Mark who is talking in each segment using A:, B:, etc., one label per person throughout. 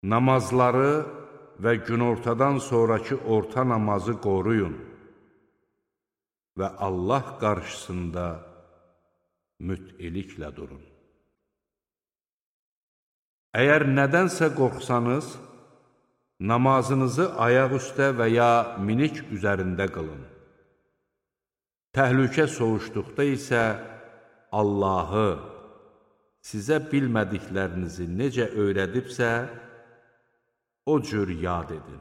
A: Namazları və günortadan sonraki orta namazı qoruyun və Allah qarşısında müt'iliklə durun. Əgər nədənsə qorxsanız, namazınızı ayaq üstə və ya minik üzərində qılın. Təhlükə soğuşduqda isə Allahı sizə bilmədiklərinizi necə öyrədibsə, o cür yad edin.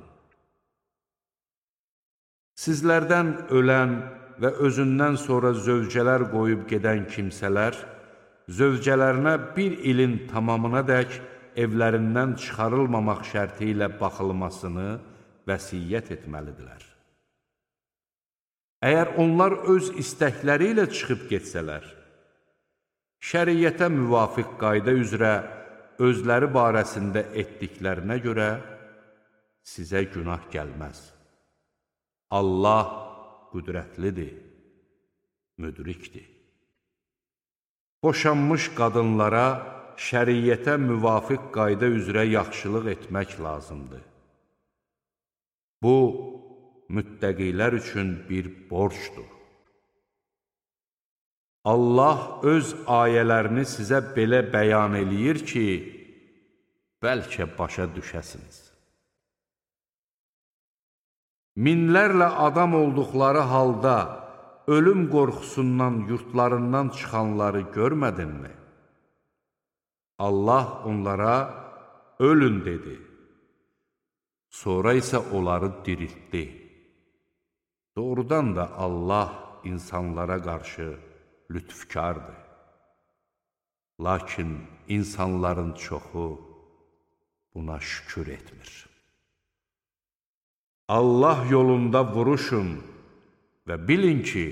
A: Sizlərdən ölən və özündən sonra zövcələr qoyub gedən kimsələr, zövcələrinə bir ilin tamamınadək evlərindən çıxarılmamaq şərti ilə baxılmasını vəsiyyət etməlidirlər. Əgər onlar öz istəkləri ilə çıxıb getsələr, şəriyyətə müvafiq qayda üzrə özləri barəsində etdiklərinə görə sizə günah gəlməz. Allah qüdrətlidir, müdrikdir. Boşanmış qadınlara şəriyyətə müvafiq qayda üzrə yaxşılıq etmək lazımdır. Bu, müttəqilər üçün bir borcdur. Allah öz ayələrini sizə belə bəyan eləyir ki, bəlkə başa düşəsiniz. Minlərlə adam olduqları halda ölüm qorxusundan yurtlarından çıxanları görmədinmi? Allah onlara ölün dedi. Sonra isə onları diriltdi. Doğrudan da Allah insanlara qarşı lütfkardır. Lakin insanların çoxu buna şükür etmir. Allah yolunda vuruşun və bilin ki,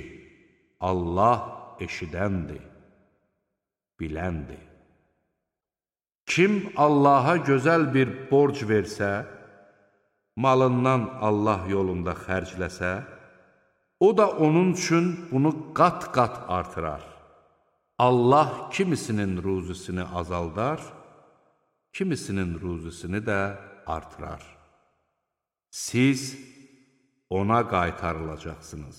A: Allah eşidəndir, biləndir. Kim Allaha gözəl bir borc versə, malından Allah yolunda xərcləsə, o da onun üçün bunu qat-qat artırar. Allah kimisinin ruzisini azaldar, kimisinin ruzisini də artırar. Siz ona qaytarılacaqsınız.